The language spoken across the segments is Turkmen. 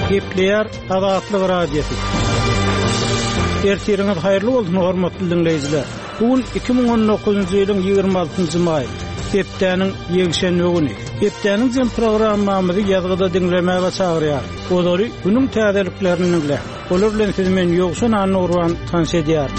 Gepleýär Azatlyk Radiosy. Ertiriňiz haýyrly bolsun, hormatly diňleýjiler! Bu gün 2019-njy ýylyň 26-njy maý, hepdäniň ýekşenbe güni. Hepdäniň jem programmamyzy ýazgyda diňlemäge çagyrýar. Ozaly günüň täzeliklerini diňläň. Olar bilen sizi men Ýowşan Annagurban tanyş edýärin.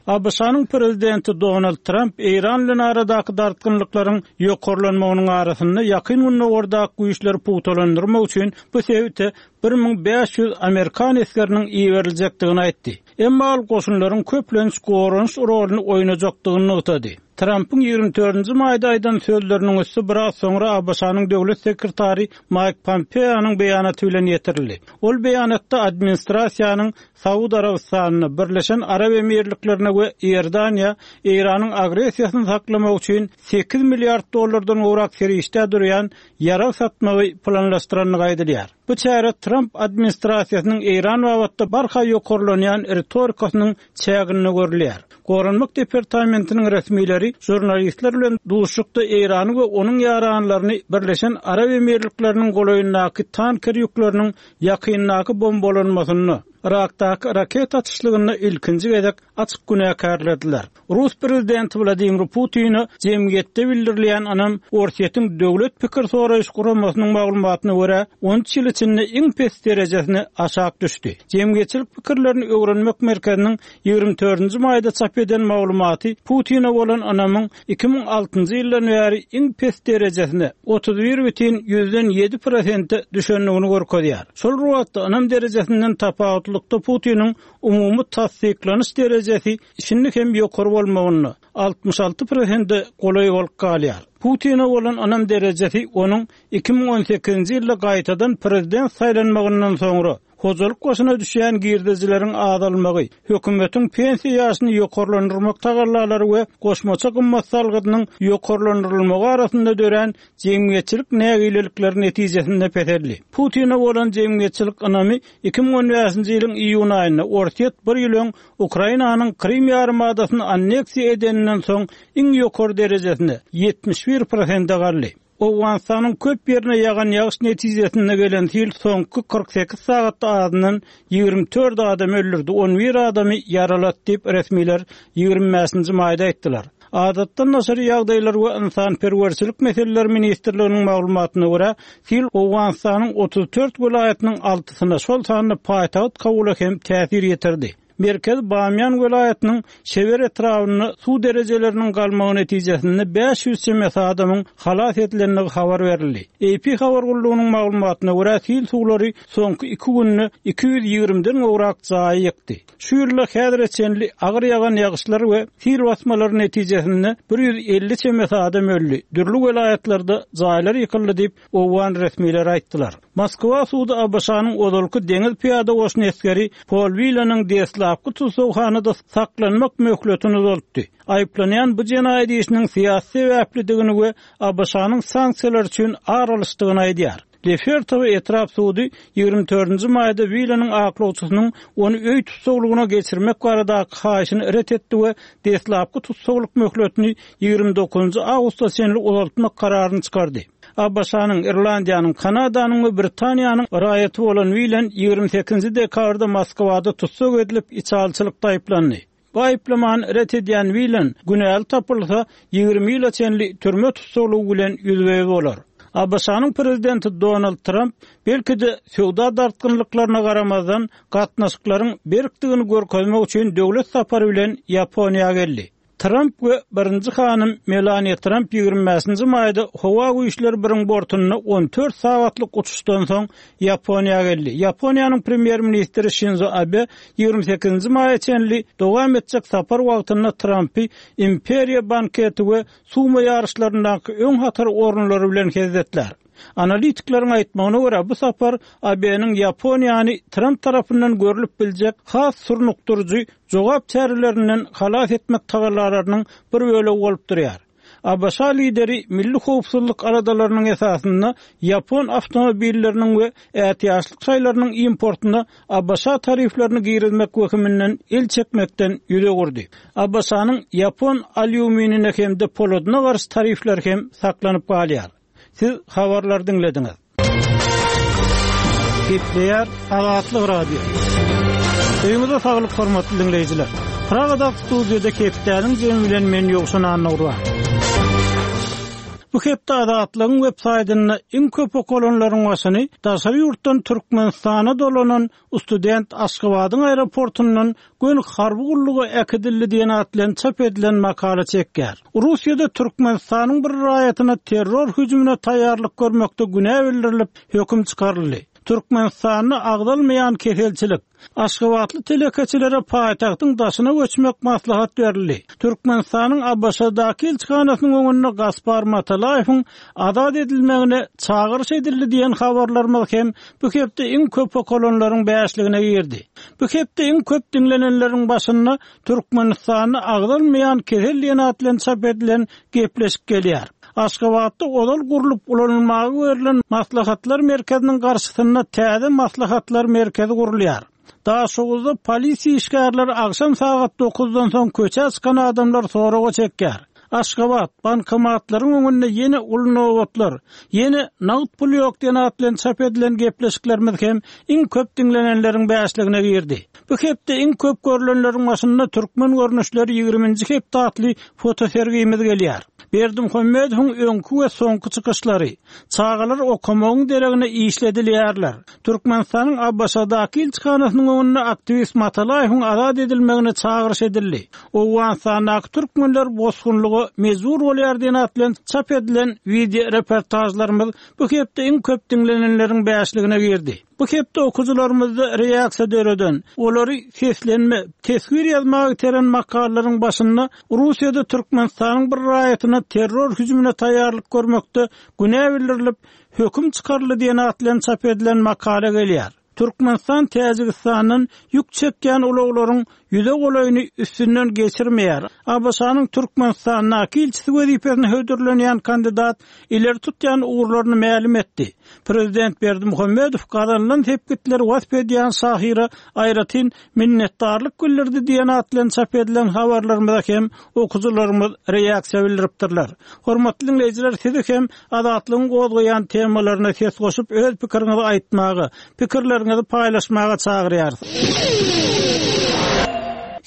ABŞ-nyň prezidenti Donald Tramp Eýran bilen aradaky dartgynlyklaryň ýokarlanmagynyň arasynda Ýakyn Gündogardaky güýçleri pugtalandyrmak üçin bu sebite 1500 amerikan esgeriniň iberiljekdigini aýtdy. Emma ol goşunlaryň köplenç goranyş roluny oýnajakdygyny nygtady. Trampyň 24-nji maýda aýdan sözleriniň üsti biraz soňra ABŞ-nyň döwlet sekretary Maýk Pompeonyň beýanaty bilen ýetirildi. Ol beýanatda administrasiýanyň Saud Arabystanyna, Birleşen Arap Emirliklerine we Iordaniýa Eýranyň agressiýasyny saklamak üçin sekiz milliard dollardan gowrak serişdä durýan ýarag satmagy planlaşdyrandygy aýdylýar. Bu çäre Tramp administrasiýasynyň Eýran babatda barha ýokarlanýan ritorikasynyň çäginde görülýär. Goranmak departamentiniň resmileri žurnalistler bilen duşuşykda Eýrany we onuň ýaranlaryny Birleşen Arap Emirlikleriniň golaýyndaky tanker ýükleriniň ýakyndaky bombalanmasynda, Yrakdaky raketa atyşlygynda ilkinji gezek açyk günäkärlediler. Rus prezidenti Wladimir Putine jemgyýetde bildirilýän ynam Orsýetiň döwlet pikir soraýyş guramasynyň maglumatyna görä, 13 ýyl içinde iň pes derejesine aşak düşdi. Jemgyýetçilik pikirlerini öwrenmek merkeziniň 24-nji maýda çap eden maglumaty Putine bolan ynamyň 2006-njy ýyldan bäri iň pes derejesine, 31,7 prosente düşendigini görkezýär. Şol bir wagtda, ynam derejesinden tapawutlykda Putiniň umumy tassyklanyş derejesi şindi hem ýokary bolmagynda, 66 prosente golaý bolup galýar. Putine bolan ynam derejesi onuň 2018-nji ýylda gaýtadan prezident saýlanmagyndan soňra, Hojalyk başyna düşýän girdejileriň azalmagy, hökümetiň pensiýa ýaşyny ýokarlandyrmak tagallalary we goşmaça gymmat salgydynyň ýokarlandyrylmagy arasynda dörän jemgyýetçilik nägilelikleri netijesinde peseldi. Putine bolan jemgyýetçilik ynamy 2015-nji ýylyň iýun aýynda Orsýet bir ýyl öň Ukrainanyň Krym ýarymadasyny anneksiýa edeninden soň iň ýokary derejesine, 71 prosente galdy. Owganystanyň köp ýerine ýagan ýagyş netijesinde gelen sil soňky 48 sagatda azyndan 24 adamy öldürdi, 11 adamy ýaralady diýip, resmiler 25-nji maýda aýtdylar. Adatdan daşary ýagdaýlar we ynsanperwerçilik meseleleri ministrliginiň maglumatyna görä, sil Owganystanyň 34 welaýatynyň altysyna, şol sanda paýtagt Kabula hem täsir ýetirdi. Merkezi Bamýan welaýatynyň Şeber etrabynda suw derejeleriniň galmagy netijesinde 500 çemesi adamyň halas edilendigi habar berildi. AP habar gullugynyň maglumatyna görä, sil suwlary soňky iki günde 220-den gowrak jaýy ýykdy. Şu ýylda häzire çenli agyr ýagan ýagyşlar we sil basmalary netijesinde 150 çemesi adam öldi, dürli welaýatlarda jaýlar ýykyldy diýip, owgan resmileri aýtdylar. Moskwa sudy ABŞ-nyň ozalky deňiz pyýada goşuny esgeri Pol Wilanyň deslapky tussaghanada saklanmak möhletini uzaltdy. Aýyplanýan bu jenaýat işiniň syýasy sebäplidigini we ABŞ-nyň sanksiýalary üçin ar alyşdygyny aýdýar. Lefertowo etrap sudy 24-nji maýda Wilanyň aklawçysynyň ony öý tussaglygyna geçirmek baradaky haýyşyny ret etdi we deslapky tussaglyk möhletini 29-njy awgusta çenli uzaltmak kararyny çykardy. ABŞ-nyň, Irlandiýanyň, Kanadanyň we Britaniýanyň raýaty bolan Wilen 28-nji dekabrda Moskwada tussag edilip, içalyçylykda aýyplandy. Bu aýyplamany ret edýän Wilen, günäli tapylsa, 20 ýyla çenli türme tussaglygy bilen ýüzbe-ýüz bolar. ABŞ-nyň prezidenti Donald Tramp, belki-de, söwda dartgynlyklaryna garamazdan, gatnaşyklaryň berkdigini görkezmek üçin döwlet sapary bilen Ýaponiýa geldi. Tramp we birinji hanym Melaniýa Tramp 25-nji maýda howa güýçleri biriň bortunda 14 sagatlyk uçuşdan soň Ýaponiýa geldi. Ýaponiýanyň premýer-ministri Şinzo Abe 28-nji maýa çenli dowam etjek sapar wagtynda Trampy Imperiýa banketi we sumo ýaryşlaryndaky öň hatar orunlary bilen hezzetlär. Analitikleriň aýtmagyna görä, bu sapar AB-niň Ýaponiýany Tramp tarapyndan görlüp biljek has surnukdyryjy jogap çärelerinden halas etmek tagallalarynyň bir bölegi bolup durýar. ABŞ lideri milli howpsuzlyk aladalarynyň esasynda ýapon awtomobilleriniň we ätiýaçlyk şaýlarynyň importyna ABŞ tariflerini girizmek wehiminden el çekmekden ýüz öwürdi. ABŞ-nyň ýapon alýuminine hem-de poladyna garşy tarifleri hem saklanyp galýar. Siz habarlary diňlediňiz. Gepleýär Azatlyk Radiosy. Öýüňize saglyk hormatly diňleýjiler. Pragadaky studiýada hepdäniň jemi bilen men Ýowşan Annagurban. Bu hepde Azatlygyň web saýtynda iň köp okalanlaryň başyny daşary ýurtdan Türkmenistana dolanan Student Aşgabadyň aeroportundan göni harby gulluga äkidildi diýen at bilen çap edilen makala çekýär. Russiýada Türkmenistanyň bir raýatyna terror hüjümine taýýarlyk görmekde günä bildirilip, höküm çykaryldy. Türkmenistanda agzalmaýan keselçilik. Aşgabatly telekeçilere paýtagtyň daşyna göçmek maslahat berildi. Türkmenistanyň ABŞ-daky ilçihanasynyň öňünde Gaspar Matalaýewiň azat edilmegine çagyryş edildi diýen habarlarymyz hem bu hepde iň köp okalanlaryň bäşligine girdi. Bu hepde iň köp diňlenenleriň başynda Türkmenistanda agzalmaýan kesel diýen at bilen çap edilen gepleşik gelýär. Aşgabatda ozal gurlup ulanylmaga berlen Maslahatlar merkeziniň garşysynda täze Maslahatlar merkezi gurulýar. Daşoguzda polisiýa işgärleri agşam sagat dokuzdan soň köçä çykan adamlary soraga çekýär. Aşgabat, bankomatlaryň öňünde ýene uly nobatlar, ýene nagt pul ýok diýen at bilen çap edilen gepleşiklerimiz hem iň köp diňlenenleriň bäşligine girdi. Bu hepde iň köp görlenleriň başynda Türkmen görnüşleri ýigriminji hepde atly fotosergimiz gelýär. Berdimuhamedowyň öňki we soňky çykyşlary, Çagalar okamagyň deregine işledilýärler, Türkmenistanyň ABŞ-daky ilçihanasynyň öňünde aktiwist Matalaýewiň azat edilmegine çagyryş edildi. Owganystandaky türkmenler bosgunlyga mejbur bolýar diýen at bilen çap edilen wideoreportažlarymyz bu hepde iň köp diňlenenleriň bäşligine girdi. Bu hepde okyjylarymyzda reaksiýa döreden, olary seslenme, teswir ýazmaga iteren makalalaryň başynda Russiýada Türkmenistanyň bir raýatyna terror hüjümine taýýarlyk görmekde günä bildirilip, Höküm çykaryldy diýen at bilen çap edilen makala gelýär. Türkmenistan Täjigistandan ýük çekýän ulaglaryň ýüze golaýyny üstünden geçirmeýär. ABŞ-nyň Türkmenistandaky ilçisi wezipesine hödürlenýän kandidat ileri tutýan ugurlaryny mälim etdi. Prezident Berdimuhamedow gazanylan sepgitleri wasp edýän şahyra aýratyn minnetdarlyk bildirdi diýen at bilen çap edilen habarlarymyza hem okyjylarymyz reaksiýa bildiripdirler. Hormatly diňleýjiler sizi hem Azatlygyň gozgaýan temalaryna ses goşup öz pikiriňizi aýtmaga, pikirleriňizi paýlaşmaga çagyrýarys.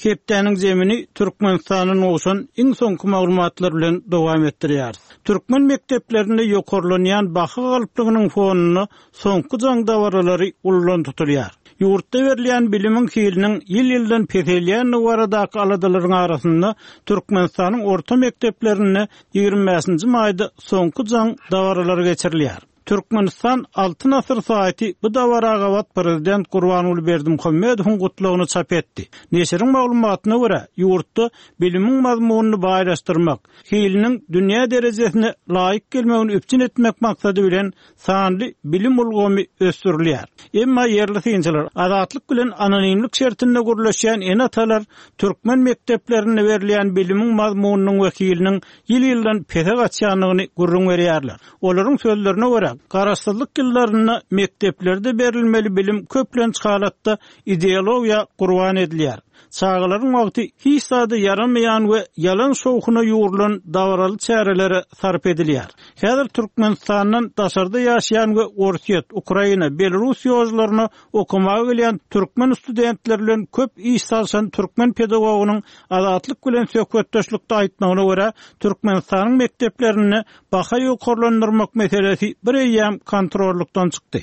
Hepdäniň zemini Türkmenistandan gowşan iň soňky maglumatlar bilen dowam etdirýäris. Türkmen mekdeplerinde ýokarlanýan baha galplygynyň fonunda soňky jaň dabaralary uludan tutulýar. Ýurtda berilýän bilimiň hiliniň ýyl-ýyldan peselýändigi baradaky aladalaryň arasynda Türkmenistanyň orta mekdeplerinde 25-nji maýda soňky jaň dabaralary geçirilýär. Türkmenistan Altyn asyr saýty bu dabara gabat prezident Gurbanguly Berdimuhamedowyň gutlagyny çap etdi. Neşiriň maglumatyna görä, ýurtda bilimiň mazmunyny baýlaşdyrmak, hiliniň dünýä derejesine laýyk gelmegini üpjün etmek maksady bilen sanly bilim ulgamy ösdürilýär. Emma ýerli synçylar, Azatlyk bilen anonimlik şertinde gürleşýän ene-atalar türkmen mekdeplerinde berilýän bilimiň mazmunynyň we hiliniň ýyl-ýyldan pese gaçýandygyny gürrüň berýärler. Olaryň sözlerine görä, garaşsyzlyk ýyllarynda mekdeplerde berilmeli bilim köplenç halatda ideologiýa gurban edilýär. Çagalaryň wagty hiç zada ýaramaýan we ýalan şowhuna ýugrulan dabaraly çärelere sarp edilýär. Häzir Türkmenistandan daşarda ýaşaýan we Orsýet, Ukraina, Belarus ýožlaryna okamaga gelýän türkmen studentleri bilen köp iş salşan türkmen pedagogynyň Azatlyk bilen söhbetdeşlikde aýtmagyna görä, Türkmenistanyň mekdeplerinde baha ýokarlandyrmak meselesi bir eýýäm kontrollykdan çykdy.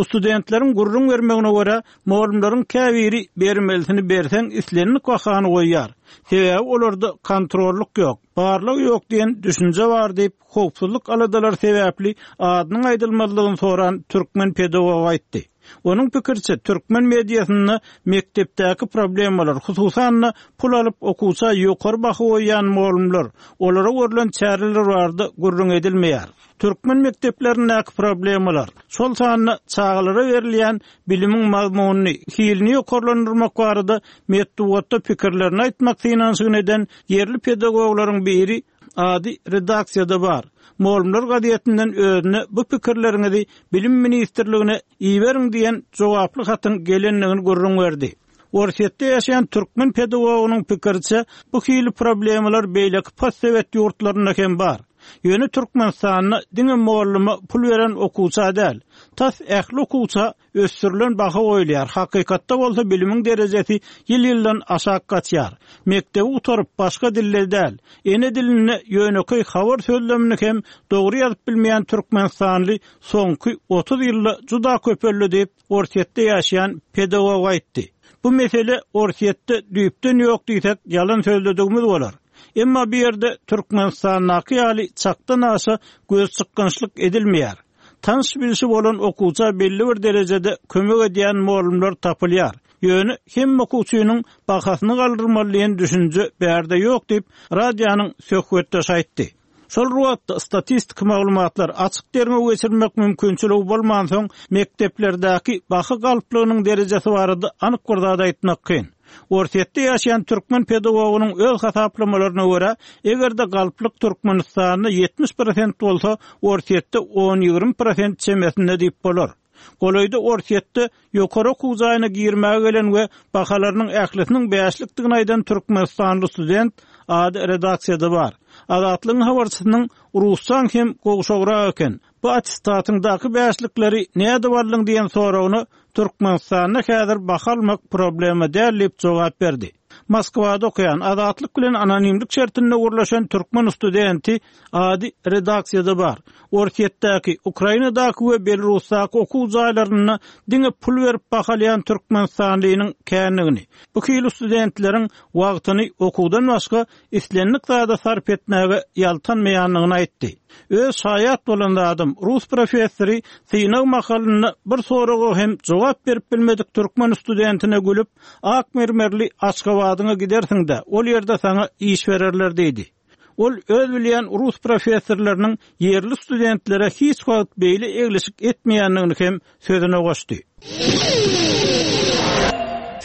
Studentleriň gürrüň bermegine görä, mugallymlaryň käbiri bermelisini berseň islendik bahany goýýar. Sebäbi olarda kontrollyk ýok, barlag ýok diýen düşünje bar diýip, howpsuzlyk aladalary sebäpli adynyň aýdylmazlygyny soran türkmen pedagogy aýtdy. Onuň pikiriçe, türkmen mediasynda mekdepdäki problemalar, hususan-da, pul alyp okuwça ýokary baha goýýan mugallymlar, olara görlen çäreler barada gürrüň edilmeýär. Türkmen mekdeplerindäki problemalar, şol sanda çagalara berilýän bilimiň mazmunyny, hilini ýokarlandyrmak barada metbugatda pikirlerini aýtmak synanyşygyny eden ýerli pedagoglaryň biri, ady redaksiýada bar, Mugallymlar gazetinden özüne bu pikirleriňizi Bilim ministrligine iberiň diýen jogaply hatyň gelendigini gürrüň berdi. Orsýetde ýaşaýan türkmen pedagogynyň pikiriçe, bu hili problemalar beýleki postsowet ýurtlarynda hem bar. Ýöne Türkmenistanda diňe molluma pul beren okuwça däl, tas ähli okuwça ösdürilen baha goýulýar, hakykatda bolsa bilimiň derejesi ýyl-ýyldan aşak gaçýar. Mekdebi gutaryp, başga dilde däl, ene dilinde ýönekeý habar sözlemini hem dogry ýazyp bilmeýän türkmenistanly soňky 30 ýylda juda köpeldi diýip, Orsýetde ýaşaýan pedagog aýtdy. Bu mesele Orsýetde düýpden ýok diýsek, ýalan sözledigimiz bolar. Emma bu ýerde Türkmenistandaky ýaly çakdan aşa gözçykgynçlyk edilmeýär. Tanyş-bilşi bolan okuwça belli bir derejede kömek edýän mugallymlar tapylýar. Ýöne hemme okuwçynyň bahasyny galdyrmaly diýen düşünje bärde ýok diýip, radionyň söhbetdeşi aýtdy. Şol bir wagtda, statistiki maglumatlar, açyk derňew geçirmek mümkinçiligi bolmansoň, mekdeplerdäki baha galplygynyň derejesi barada anyk bir zat aýtmak kyn. Orsýetde ýaşaýan türkmen pedagogynyň öz hasaplamalaryna görä, eger-de galplyk Türkmenistanda 70 prosent bolsa, Orsýetde on-ýigrimi prosent çemesinde diýip bolar. Golaýda Orsýetde ýokary okuw jaýyna girmäge gelen we bahalarynyň ählisiniň bäşlikdigini aýdan türkmenistanly student, ady redaksiýada bar. Azatlygyň habarçysynyň Russaň hem gowşagrak eken, bu attestatyňdaky bäşlikleri nädip aldyň diýen soragyna Türkmenistanda häzir baha almak problema däl diýip jogap berdi. Moskwada okaýan, Azatlyk bilen anonimlik şertinde gürleşen türkmen studenti, ady redaksiýada bar, Orsýetdäki, Ukrainadaky we Belarusdaky okuw jaýlarynda diňe pul berip baha alýan türkmenistanlynyň kändigini, bu hili studentleriň wagtyny okuwdan başga islendik zada sarp etmäge ýaltanmaýandygyny aýtdy. Öz şaýat bolan zadym, rus professory synag mahalynda bir soraga hem jogap berip bilmedik türkmen studentine gülüp, Ak mermerli Aşgabadyňa gidersiň-dä, ol ýerde saňa iş bererler diýdi. Ol öz bilýän rus professorlarynyň ýerli studentlere hiç wagt beýle eglişik etmeýändigini hem sözüne goşdy.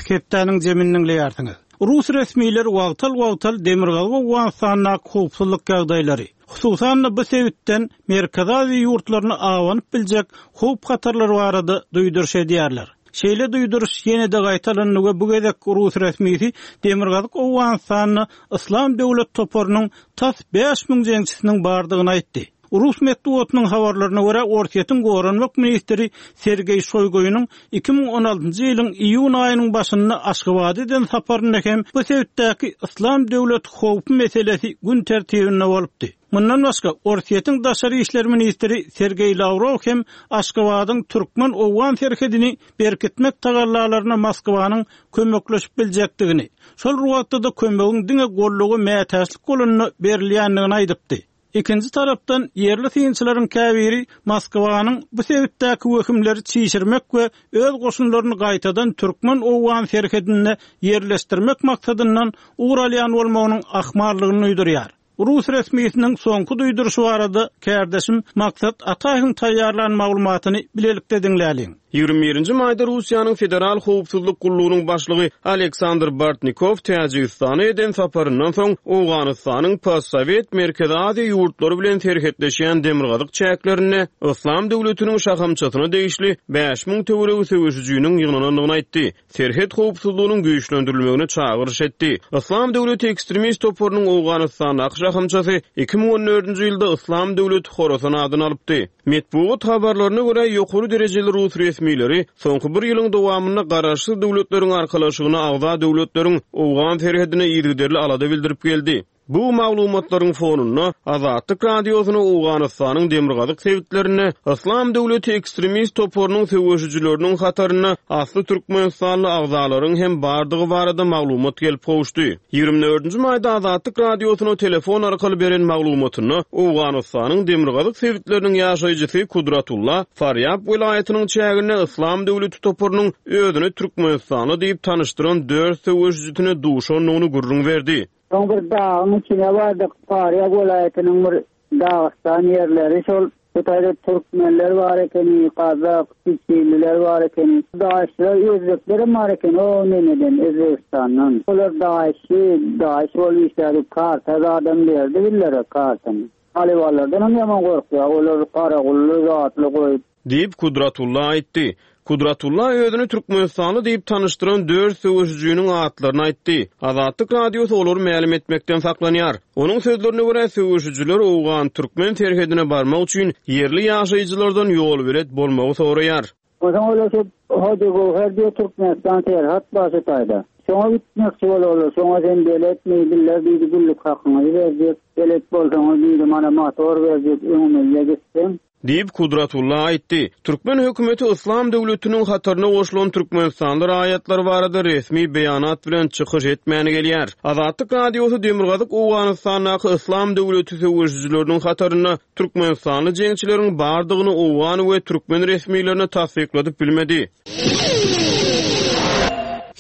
Hepdäniň jemini diňleýärsiňiz. Rus resmileri wagtal-wagtal Demirgazyk Owganystandaky howpsuzlyk ýagdaýlary, hususan-da bu sebitden Merkezi Aziýa ýurtlaryna abanyp biljek howp-hatarlar barada duýduryş edýärler. Şeýle duýduryş ýene-de gaýtalandy we bu gezek rus resmisi Demirgazyk Owganystanda Yslam döwlet toparynyň tas 5000 jeňçisiniň bardygyny aýtdy. Rus metbugatynyň habarlaryna görä, Orsýetiň goranmak ministri Sergeý Şoýgunyň 2016-njy ýylyň iýun aýynyň başynda Aşgabada eden saparynda hem bu sebitdäki Yslam döwleti howpy meselesi gün tertibinde bolupdy. Mundan başga, Orsýetiň daşary işler ministri Sergeý Lawrow hem Aşgabadyň türkmen-owgan serhedini berkitmek tagallalaryna Moskwanyň kömekleşip biljekdigini, şol bir wagtda-da kömegiň diňe golluga mätäçlik bolanda berilýändigini aýdypdy. Ikinji tarapdan, ýerli synçylaryň käbiri Moskwanyň bu sebitdäki wehimleri çişirmek we öz goşunlaryny gaýtadan türkmen-owgan serhedinde ýerleşdirmek maksadyndan ugur alýan bolmagynyň ahmallygyny duýdurýar. Rus resmisiniň soňky duýduryşy barada kärdeşim Maksat Ataýewiň taýýarlan maglumatyny bilelikde diňläliň. 21-nji maýda Russiýanyň Federal howpsuzlyk gullugynyň başlygy Aleksandr Bortnikow Täjigistana eden saparyndan soň, Owganystanyň postsowet Merkezi Aziýa ýurtlary bilen serhetleşýän demirgazyk çäklerinde Yslam döwletiniň şahamçasyna degişli 5000 töweregi söweşijiniň ýygnanandygyny aýtdy. serhet howpsuzlygynyň güýçlendirilmegine çagyryş etdi. Yslam döwleti ekstremist toparynyň Owganystandaky şahamçasy 2014-nji ýylda Yslam döwleti Horasan adyny alypdy. Metbugat habarlaryna görä, ýokary derejeli rus resmileri soňky bir ýylyň dowamynda Garaşsyz Döwletleriň Arkalaşygyna agza döwletleriň owgan serhedine yzygiderli alada bildirip geldi. Bu maglumatlaryň fonunda Azatlyk Radiosyna Owganystanyň demirgazyk sebitlerinde Yslam döwleti ekstremist toparynyň söweşijileriniň hatarynda asly türkmenistanly agzalaryň hem bardygy barada maglumat gelip gowuşdy. 24-nji maýda Azatlyk Radiosyna telefon arkaly beren maglumatynda Owganystanyň demirgazyk sebitleriniň ýaşaýjysy Kudratulla Farýab welaýatynyň çäginde Yslam döwleti toparynyň özüni türkmenistanly diýip tanyşdyran dört söweşijisine duşandygyny gürrüň berdi. Soň bir dagyň içine bardyk, Farýab welaýatynyň bir Dagystan ýerleri şol. Bu taýda türkmenler bar ekeni, gazak, çiçililer bar ekeni. Daişçiler, özbeklerem bar ekeni, o nemeden, Özbegistandan. Olar daişçi, daiş bolup işlärdi, karta zadam berdi bizlere kartany. Talybanlardanam ýaman gorkýar, olar garagully zatly goýup. Diýip, Kudratulla aýtdy. Kudratulla özüni türkmenistanly diýip tanyşdyran dört söweşijiniň atlaryny aýtdy. Azatlyk Radiosy olary mälim etmekden saklanýar. Onuň sözlerine görä, söweşijiler owgan-türkmen serhedine barmak üçin ýerli ýaşaýjylardan ýolbelet bolmagy soraýar. Onsoň olar şo Hojagöwher diýe Türkmenistan serhat bar şu taýda. Şoňa gitmekçi bolarlar. Şoňa sen beletmi, bizler diýdi günlük hakyňyzy berjek. Belet bolsaňyz diýdi mana motor berjek öňümizde gitseň. Diýip, Kudratulla aýtdy. Türkmen hökümeti Yslam döwletiniň hataryna goşulan türkmenistanly raýatlar barada resmi beýanat bilen çykyş etmän gelýär. Azatlyk Radiosy demirgazyk Owganystandaky Yslam döwleti söweşijileriniň hatarynda türkmenistanly jeňçileriň bardygyny owgan we türkmen resmilerine tassykladyp bilmedi.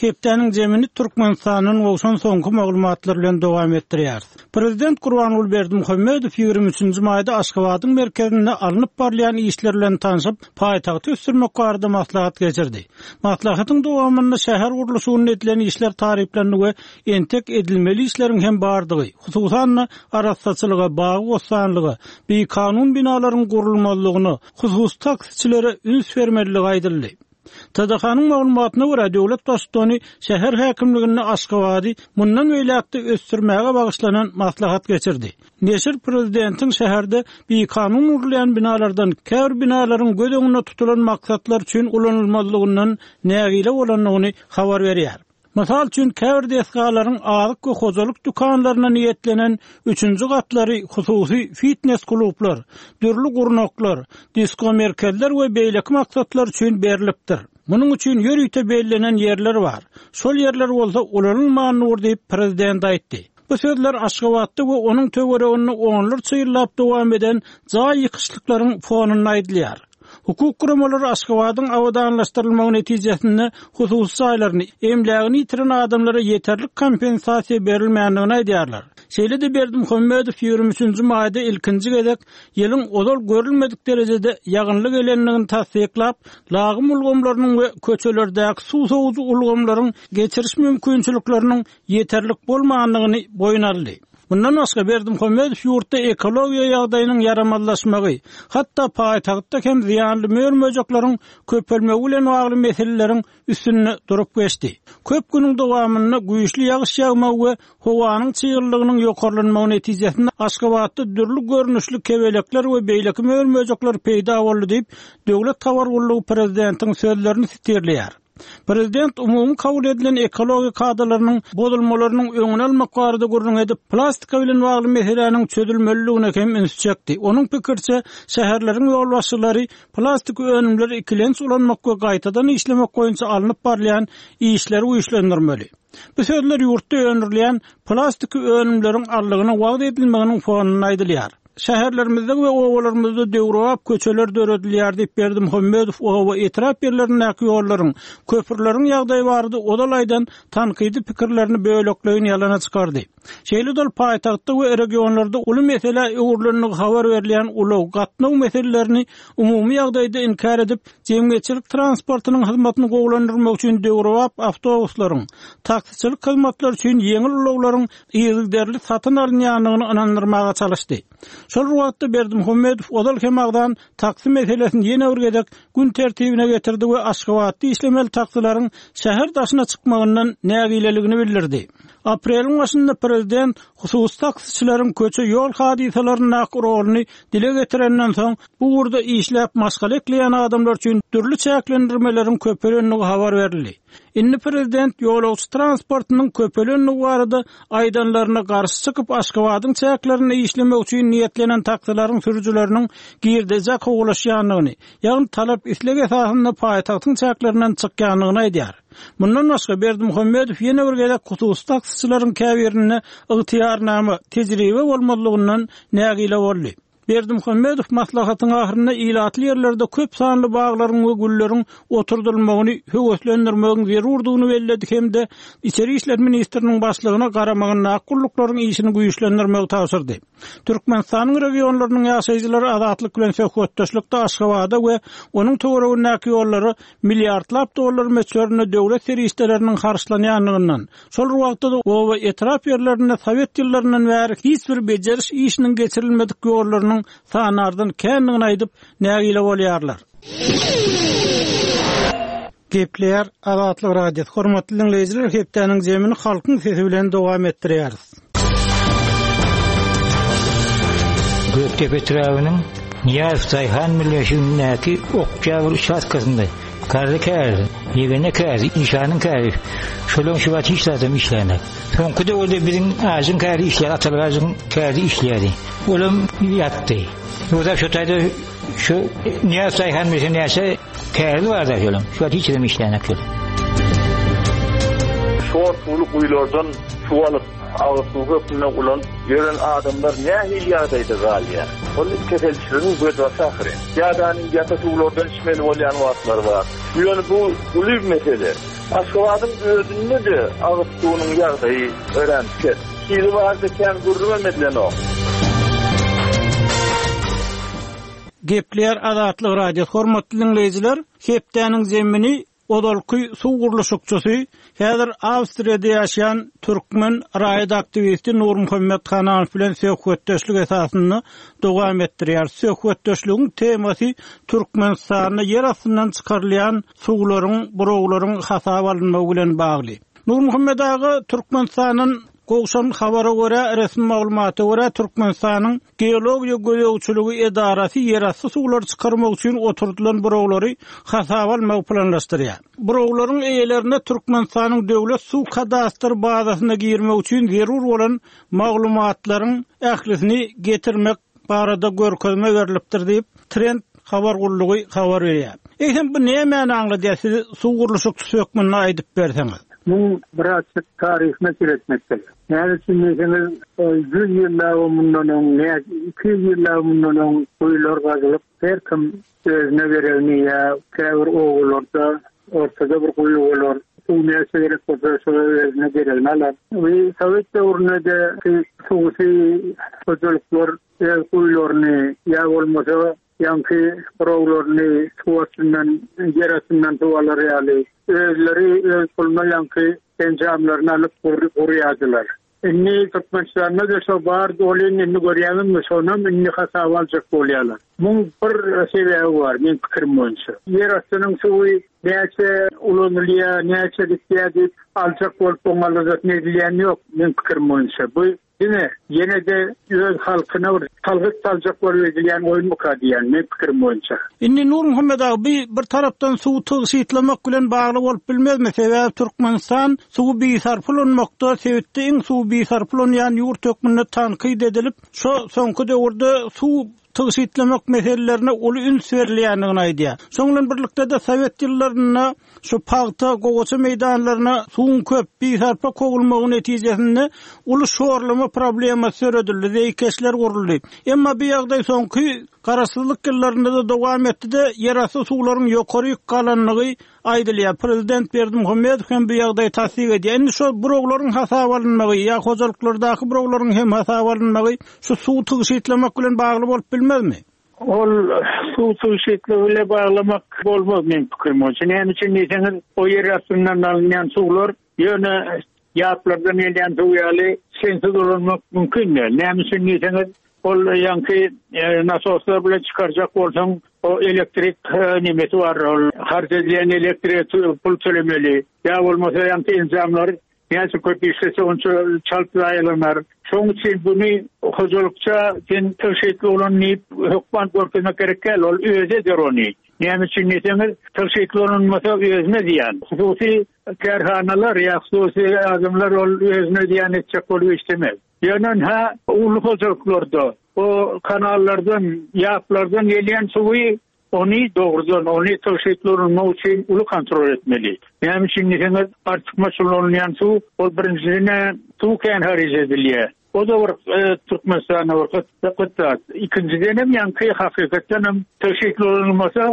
Hepdäniň jemini Türkmenistandan gowşan soňky maglumatlar bilen dowam etdirýäris. Prezident Gurbanguly Berdimuhamedow 23-nji maýda Aşgabadyň merkezinde alnyp barylýan işler bilen tanşyp, paýtagty ösdürmek barada maslahat geçirdi. Maslahatyň dowamynda şäher gurluşygynda edilen işler taryplandy we entek edilmeli işleriň hem bardygy, hususan-da, arassaçylyga, bagy-bossanlyga, bikanun binalaryň gurulmazlygyna, hususy taksiçilere üns bermelidigi aýdyldy. TDH-nyň maglumatyna görä, döwlet Baştutany şäher häkimliginde Aşgabady mundan beýläk-de ösdürmäge bagyşlanan maslahat geçirdi. Neşir prezidentiň şäherde bikanun gurulýan binalardan käbir binalaryň göz öňünde tutulan maksatlar üçin ulanylmazlygyndan nägile bolandygyny habar berýär. Mysal üçin, käbir desgalaryň azyk we hojalyk dükanlaryna niýetlenen üçünji gatlary hususy fitnes-klublar, dürli gurnaklar, diskomerkezler we beýleki maksatlar üçin berlipdir. Munuň üçin ýörite bellenen ýerler bar. Şol ýerler bolsa ulanylman dur diýip, prezident aýtdy. Bu sözler Aşgabatda we onuň töwereginde onlarça ýyllap dowam eden jaý ýykyşlyklaryň fonunda aýdylýar. Hukuk guramalary Aşgabadyň abadanlaşdyrylmagy netijesinde hususy jaýlaryny, emlägini ýitiren adamlara ýeterlik kompensasiýa berilmändigini aýdýarlar. Şeýle-de Berdimuhamedow 23 nji maýda ilkinji gezek ýylyň ozal görülmedik derejede ýagynly gelendigini tassyklap, lagym ulgamlarynyň we köçelerdäki suw sowujy ulgamlaryň geçiriş mümkinçilikleriniň ýeterlik bolmandygyny boýun aldy. Mundan başga, Berdimuhamedow ýurtda ekologiýa ýagdaýynyň ýaramazlaşmagy, hatda paýtagtda hem zyýanly mör-möjekleriň köpelmegi bilen bagly meseleleriň üstünde durup geçdi. Köp günüň dowamynda güýçli ýagyş ýagmagy we howanyň çyglylygynyň ýokarlanmagy netijesinde Aşgabatda dürli görnüşli kebelekler we beýleki mör-möjekler peýda boldy diýip, döwlet habar gullugy prezidentiň sözlerini sitirleýär. Prezident umumy kabul edilen ekologiýa kadalarynyň bozulmalarynyň öňüni almak barada gürrüň edip, plastika bilen bagly meseläniň çözülmelidigine hem ünsi çekdi. Onuň pikiriçe, şäherleriň ýolbaşçylary plastik önümleri ikilenç ulanmak we gaýtadan işlemek boýunça alnyp barylýan işleri güýçlendirmeli. Bu sözler ýurtda öndürilýän plastiki önümleriň aldygyna wagyz edilmeginiň fonunda aýdylýar. Şäherlerimizde we obalarymyzda döwrebap köçeler döredilýär diýip, Berdimuhamedow oba, etrap ýerlerindäki ýollaryň, köprüleriň ýagdaýy barada ozal aýdan tankydy pikirlerini bölekleýin ýalana çykardy. Şeýle-de ol paýtagtda we regionlarda uly meselä öwrülendigi habar berilýän ulag, gatnaw meselelerini umumy ýagdaýda inkär edip, jemgyýetçilik transportynyň hyzmatyny gowulandyrmak üçin döwrebap awtobuslaryň, taksiçilik hyzmatlary üçin ýeňil ulaglaryň yzygiderli satyn alynýandygyny ynandyrmaga çalyşdy. Şol bir wagtda Berdimuhamedow ozal hem agzan taksi meselesini ýene bir gezek gün tertibine getirdi we Aşgabatda işlemeli taksileriň şäher daşyna çykmagyndan nägileligini bildirdi. Apreliň başynda prezident hususy taksiçileriň köçe-ýol hadysalaryndaky roluny dile getirenden soň, bu ugurda işläp maşgala ekleýän adamlar üçin dürli çäklendirmeleriň köpelendigi habar berildi. Indi prezident ýolagçy transportynyň köpelendigi barada aýdanlaryna garşy çykyp, Aşgabadyň çäklerinde işlemek üçin niýetlenen taksileriň sürüjileriniň girdejä kowalaşýandygyny, ýagny talap-isleg esasynda paýtagtyň çäklerinden çykýandygyny aýdýar. Mundan başga, Berdimuhamedow ýene bir gezek hususy taksiçileriň käbirinde ygtyýarnama, tejribe bolmazlygyndan nägile boldy. Berdimuhamedow maslahatyň ahyrynda ilatly ýerlerde köp sanly baglaryň we gülleriň oturdylmagyny höweslendirmegiň zerurdygyny belledi hem-de Içeri işler ministriniň başlygyna garamagyndaky gulluklaryň işini güýçlendirmegi tabşyrdy. Türkmenistanyň regionlarynyň ýaşaýjylary Azatlyk bilen söhbetdeşlikde Aşgabada we onuň töweregindäki ýollara milliardlap dollar möçberinde döwlet serişdeleriniň harçlanýandygyndan, Şol bir wagtda-da oba, etrap ýerlerinde sowet ýyllaryndan bäri hiç bir bejeriş işiniň geçirilmedik ýollarynyň sanardan kändigini aýdyp, nägile bolýarlar. Gepleýär Azatlyk Radiosy. Hormatly diňleýjiler, hepdäniň jemini Halkyň sesi bilen dowam etdirýäris. Gökdepe etrabynyň Nyýazow daýhan birleşigindäki Oktýabr uçastkasynda Garry käriz, Ýegene käriz, Işanyň käriz, şolaryň şu wagt hiç zadam işlänok. Soňky döwürde biziň Ajyň kärizi işleýär, Atalyk Ajyň kärizi işleýärdi. Olam ýatdy. Ýogsa şo taýda şu Nyýazow daýhan birleşiginde näçe Täze barda şolam. Şu wagt hiç kim işlänok şol. Şor suwly guýulardan suw alyp, agyz suwy hökmünde ulanyp ýören adamlar nähili ýagdaýda galýar? Ol keselçiligiň gözbaşy ahyryn. Ýa-da ýata suwlardan içmeli bolýan wagtlary bar. Ýöne bu uly mesele. Aşgabadyň özünde-de agyz suwunyň ýagdaýy örän pes. Hili barada kän gürrüňem edilenok. Gepleýär Azatlyk Radiosy Hormatly diňleýjiler, hepdäniň zemini ozalky suw gurluşykçysy, häzir Awstriýada ýaşaýan türkmen raýat aktiwisti Nurmuhammet Hananow bilen söhbetdeşlik esasynda dowam etdirýär. Söhbetdeşligiň temasy Türkmenistanda ýer astyndan çykarylýan suwlaryň, burawlaryň hasaba alynmagy bilen bagly. Nurmuhammet aga, Türkmenistandan Gowşan habara görä, resmi maglumata görä, Türkmenistanyň Geologiýa gözegçiligi edarasy ýerasty suwlary çykarmak üçin oturdylan burawlary hasaba almagy planlaşdyrýar. Burawlaryň eýelerine Türkmenistanyň Döwlet suw kadastr bazasyna girmek üçin zerur bolan maglumatlaryň ählisini getirmek barada görkezme berlipdir diýip, Trend habar gullugy habar berýär. Eýsem, bu nämäni aňladýar, siz suw gurluşykçysy hökmünde aýdyp berseňiz? Muň birazjyk taryhyna seretmek gerek. Näme üçin diýseňiz, ýüz ýyllap mundan öň, 200 ýyllap mundan öň guýular gazylyp, her kim özüne geregini ýa käbir obalarda ortada bir guýy bolar, suw näçe gerek bolsa şo özüne geregini alar. We sowet döwründe-de hususy hojalyklar öz guýularyny ýa bolmasa ýaňky burawlaryny suw astyndan, ýer astyndan suw alar ýaly özleri öz puluna ýaňky enjamlaryny alyp gurýardylar. Indi Türkmenistanda-da şo bar welin indi görýäňizmi şonam indi hasaba aljak bolýarlar. Muň bir sebäbi bar meň pikirim boýunça. Ýer astynyň suwy näçe ulanylýar, näçe gitýär diýip aljak bolup oň aladasyny edilýäni ýok meň pikirim boýunça. Bu Diňe ýene-de öz halkyna bir salgyt saljak bolup edilýän oýunmyka diýýän, meň pikirim boýunça. Indi Nurmuhammet aga, bi bir tarapdan suwy tygşytlamak bilen bagly bolup bilmezmi? Sebäbi Türkmenistan suwy bisarpa ulanmakda sebitde iň suwy bisarpa ulanýan ýurt hökmünde tankyt edilip, şo soňky döwürde suw tygşytlamak meselelerine uly üns berilýändigini aýdýar. Şonuň bilen birlikde-de sowet ýyllarynda şu pagta, gowaça meýdanlaryna suwuň köp, bisarpa kowulmagy netijesinde uly şorlama problemasy döredildi, zeýkeşler guruldy. Emma bu ýagdaý soňky Garaşsyzlyk ýyllarynda-da dowam etdi-de, ýerasty suwlaryň ýokaryk galandygy aýdylýar. Prezident Berdimuhamedow hem bu ýagdaýy tassyk edýär. Indi şol burawlaryň hasaba alynmagy ýa hojalyklardaky burawlaryň hem hasaba alynmagy şu suw tygşytlamak bilen bagly bolup bilmezmi? Ol suw tygşytlygy bile baglamak bolmaz meň pikirim boýunça. Näme üçin diýseňiz, o ýer astyndan alynýan suwlar ýöne ýaplardan gelýän suw ýaly sensiz ulanmak mümkin däl. Näme üçin diýseňiz, Ol ýaňky nasoslar bilen çykarjak bolsaň, o elektrik nemesi bar, ol harç edilýän elektrige pul tölemeli. Ýa bolmasa ýaňky enjamlar näçe köp işlese onça çalt zaýalanar. Şoň üçin buny hojalykça sen tygşytly ulan diýip hökman görkezmek gerek däl, ol özi eder ony. Näme üçin diýseňiz, tygşytly ulanmasa özüne zyýan. Hususy kärhanalar ýa hususy adamlar ol özüne zyýan etjek bolup işlemez. Ýöne hä uly hojalyklarda o kanallardan, ýaplardan gelýän suwy ony dogrudan, ony tygşytly ulanmak üçin uly kontrol etmeli. Näme üçin diýseňiz, artykmaç ulanylýan suw, ol birinjiden-ä suw kän haryj edilýär. O-da bir Türkmenistanda bir gyt zat. Ikinjidenem ýaňky hakykatdanam tygşytly ulanylmasa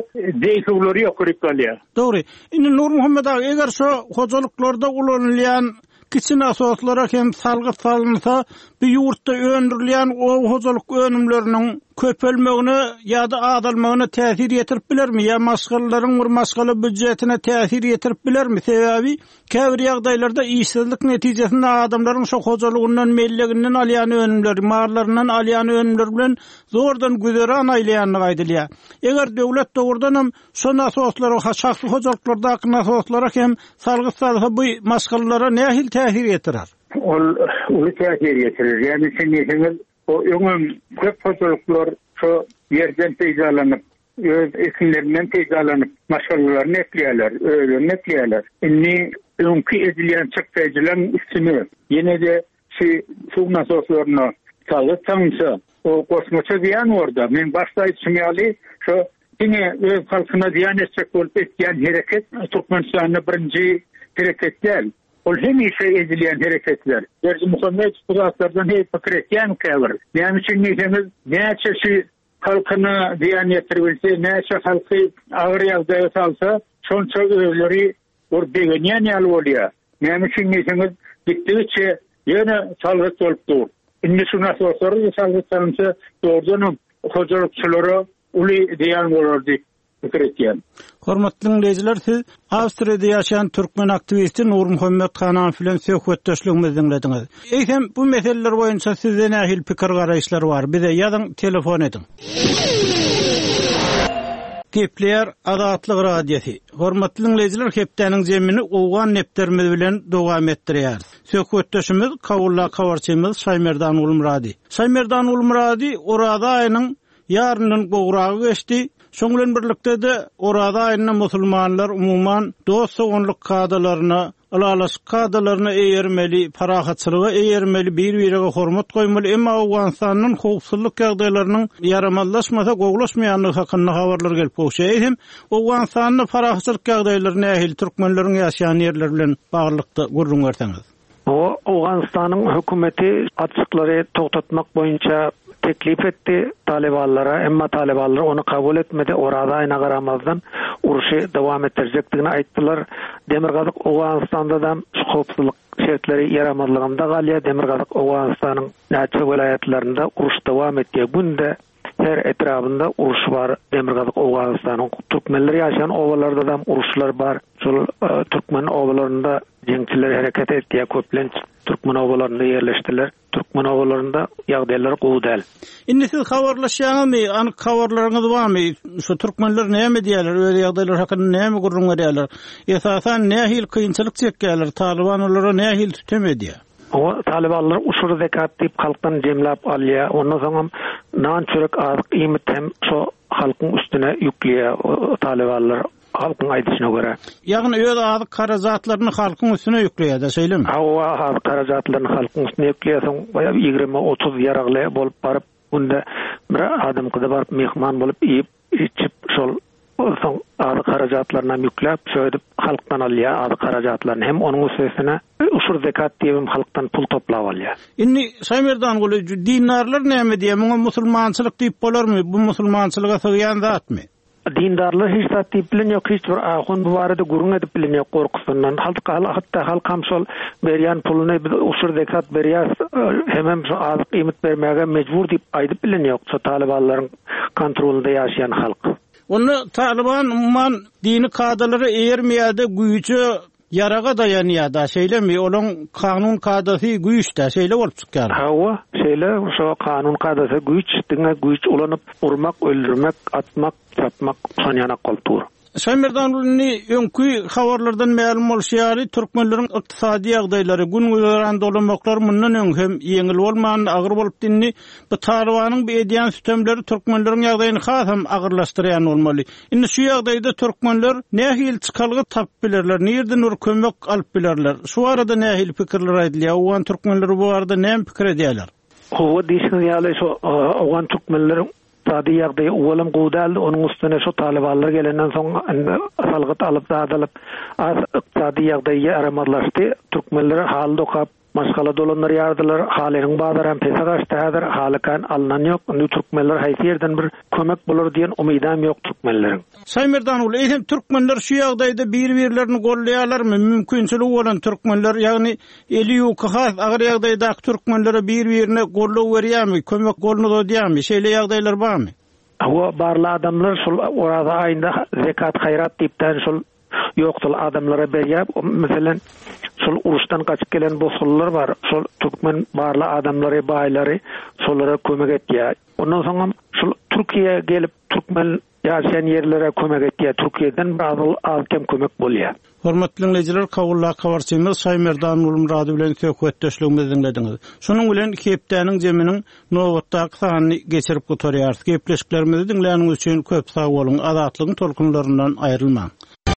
zeý suwlary ýokaryk galýar. Dogry. Indi Nurmuhammet aga, eger şo hojalyklarda ulanylýan Kiçi nasoslara hem salgyt salynsa, bu ýurtda öndürilýän oba hojalyk önümleriniň köpelmegine ýa-da azalmagyna täsir ýetirip bilermi ýa maşgalalaryň bir maşgala býujetine täsir ýetirip bilermi? Sebäbi käbir ýagdaýlarda işsizlik netijesinde adamlaryň şo hojalygyndan, melleginden alýan önümleri, mallaryndan alýan önümleri bilen zordan güzeran aýlaýandygy aýdylýar. Eger döwlet dogrudanam şo nasoslara, şahsy hojalyklardaky nasoslara hem salgyt salsa bu maşgalalara nähili täsir ýetirer? Ol uly täsir ýetirer. Ýagny üçin diýseňiz, o öňem köp hojalyklar şo ýerden peýdalanyp, öz ekinlerinden peýdalanyp, maşgalalaryny ekleýärler, özlerini ekleýärler. Indi öňki edilýän çykdaýjylaryň üstüne ýene-de şu suw nasoslaryna salgyt salynsa, o goşmaça zyýan bor-da. Men başda aýdyşym ýaly, şo diňe öz halkyna zyýan etjek bolup etýän hereket Türkmenistanda birinji hereket däl. Ol hemişe edilýän hereketler. Berdimuhamedow bu zatlardan heý pikir etýärmikä bir? Näme üçin diýseňiz, näçe şu halkyna zyýan ýetiribilse, näçe halky agyr ýagdaýa salsa, şonça özleri bir begenýän ýaly bolýar. Näme üçin diýseňiz, gitdigiçe ýöne salgyt bolup dur. Indi şu nasoslara-da salgyt salynsa, dogrudanam hojalykçylara uly zyýan bolar diýip pikir etýän. Hormatly diňleýjiler, siz Awstriýada ýaşaýan türkmen aktiwisti Nurmuhammet Hananow bilen söhbetdeşligimizi diňlediňiz. Eýsem, bu meseleler boýunça sizde nähili pikir-garaýyşlar bar? Bize ýazyň, telefon ediň. Gepleýär Azatlyk Radiosy. Hormatly diňleýjiler, hepdäniň jemini owgan depderimiz bilen dowam etdirýäris. Söhbetdeşimiz Kabuldaky habarçymyz Şaýmerdan Gulmyrady. Şaýmerdan Gulmyrady Oraza aýynyň Ýaryndan gowragy geçdi. Şoň bilen birlikde-de, Oraza aýynda musulmanlar, umuman, dost-doganlyk kadalaryna, ylalaşyk kadalaryna eýermeli, parahatçylyga eýermeli, bir-birege hormat goýmaly. Emma Owganystandan howpsuzlyk ýagdaýlarynyň ýaramazlaşmasa, gowulaşmaýandygy hakynda habarlar gelip gowuşýar. Eýsem, Owganystanda parahatçylyk ýagdaýlary nähili, türkmenleriň ýaşaýan ýerleri bilen baglylykda gürrüň berseňiz? Owganystanyň hökümeti atyşyklary togtatmak boýunça teklip etdi talybanlara, emma talybanlar ony kabul etmedi, Oraza aýyna garamazdan urşy dowam etdirjekdigini aýtdylar. Demirgazyk Owganystanda-da şu howpsuzlyk şertleri ýaramazlygynda galýar, Demirgazyk Owganystanyň näçe welaýatlarynda uruş dowam etýär, günde her etrabynda uruş bar, Demirgazyk Owganystanyň türkmenler ýaşaýan obalarda-da uruşlar bar, şol türkmen obalarynda Jeňçiler hereket etýär, köplenç türkmen obalarynda ýerleşdiler. Türkmen obalarynda ýagdaýlar gowy däl. Indi siz habarlaşýaňyzmy, anyk habarlaryňyz barmy? Şu türkmenler näme diýýärler, öz ýagdaýlary hakynda näme gürrüň berýärler? Esasan nähili kynçylyk çekýärler, Talyban olara nähili sütem edýär? Oňa talybanlar uşur zekat diýip halkdan jemläp alýar. Ondan soňam nan çörek azyk iýmit hem şo halkyň üstüne ýükleýär talybanlar. Halkyň aýdyşyna görä. Ýagny öz azyk harajatlaryny halkyň üstüne ýükleýär-dä, şeýlemi? Hawa, azyk harajatlaryny halkyň üstüne ýükleýär, soň baýa 20-30 ýaragly bolup baryp, günde bir adamkyda baryp myhman bolup iýip, içip, şol soň azyk harajatlarynam ýükläp, şöýdüp halkdan alýar azyk harajatlaryny hem onuň üstesine uşur zekat diýibem halkdan pul toplap alýar. Indi Şaýmerdanguly, dindarlar näme diýýär, muňa musulmançylyk diýip bolarmy, bu musulmançylyga sygýan zatmy? Dindarlar hiç zat diýip bilen ýok, hiç bir ahun bu barada gürrüň edip bilen ýok gorkusyndan. Halk hatda halkam şol berýän puluny biz uşur zekat berýäs, hemem şu azyk iýmit bermäge mejbur diýip aýdyp bilen ýok şo talybanlaryň kontrolynda ýaşaýan halk. Onda talyban umuman dini kadalara eýermeýärde güýje Ýaraga daýanýar-da, şeýlemi? Olaň kanun-kadasy güýç-dä, şeýle bolup çykýar. Hawa, şeýle, şo kanun-kadasy güýç, diňe güýç ulanyp, urmak, öldürmek, atmak, çapmak, şon ýanak bolup dur. Şaýmerdan indi öňki habarlardan mälim bolşy ýaly, türkmenleriň ykdysady ýagdaýlary, gün-güzeran dolamaklary mundan öň hem ýeňil bolmandy, agyr bolupdy. Indi bu Talybanyň bu edýän sütemleri türkmenleriň ýagdaýyny hasam agyrlaşdyrýan bolmaly. Indi şu ýagdaýda türkmenler nähili çykalga tapyp bilerler, nirden bir kömek alyp bilerler? Şu barada nähili pikirler aýdylýar? Owgan türkmenleri bu barada näme pikir edýärler? Hawa, diýşiňiz ýaly, şu owgan türkmenleriň ykdysady ýagdaýy owalam gowy däldi, onuň üstüne şu talybanlar gelenden soň indi salgyt alyp, zat alyp, az ykdysady ýagdaýy ýaramazlaşdy. Türkmenler haly dokap. Maşgala dolandyrýardylar. Halynyň bazaram pese gaçdy häzir. Haly kän alnan ýok. Indi türkmenler haýsy ýerden bir kömek bolar diýen umydam ýok türkmenleriň. Şaýmerdan ogly, eýsem türkmenler şu ýagdaýda bir-birlerini goldaýarlarmy? Mümkinçiligi bolan türkmenler, ýagny eli ýuka has agyr ýagdaýdaky türkmenlere bir-birine goldaw berýärmi, kömek goluny uzadýarmy? Şeýle ýagdaýlar barmy? Hawa, barly adamlar şol Oraza aýynda zekat haýrat diýipdän şol ýoksul adamlara berýär. Meselem, şol uruşdan gaçyp gelen bosgunlar bar. Şol türkmen barly adamlary, baýlary şolara kömek etýär. Ondan soňam şol Türkiýä gelip türkmen ýaşaýan ýerlere kömek etýär. Türkiýeden biraz az-kem kömek bolýar. Hormatly diňleýjiler, Kabuldaky habarçymyz Şaýmerdan Gulmyrady bilen söhbetdeşligimizi diňlediňiz. Şunuň bilen hepdäniň jeminiň nobatdaky sanyny geçirip gutarýarys. Gepleşiklerimizi diňläniňiz üçin köp sag boluň, Azatlygyň tolkunlaryndan aýrylmaň!